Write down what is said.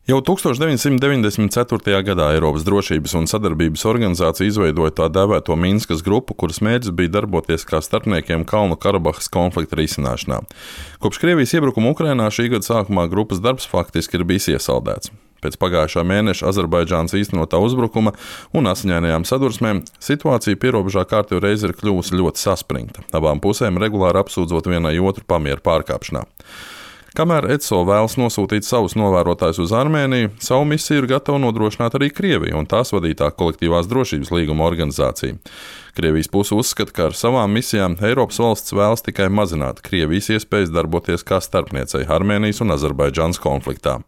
Jau 1994. gadā Eiropas drošības un sadarbības organizācija izveidoja tā dēvēto Minskas grupu, kuras mērķis bija darboties kā starpniekiem Kalnu Karabahas konflikta risināšanā. Kopš Krievijas iebrukuma Ukrainā šī gada sākumā grupas darbs faktiski ir bijis iesaldēts. Pēc pagājušā mēneša Azerbaidžānas īstenotā uzbrukuma un asiņainajām sadursmēm situācija pierobežā kārtīgi reiz ir kļuvusi ļoti saspringta, abām pusēm regulāri apsūdzot vienai otru pamieru pārkāpšanā. Kamēr ECO vēlas nosūtīt savus novērotājus uz Armēniju, savu misiju ir gatava nodrošināt arī Krievija un tās vadītā kolektīvās drošības līguma organizācija. Krievijas puse uzskata, ka ar savām misijām Eiropas valsts vēlas tikai mazināt Krievijas iespējas darboties kā starpniecei Armēnijas un Azerbaidžānas konfliktā.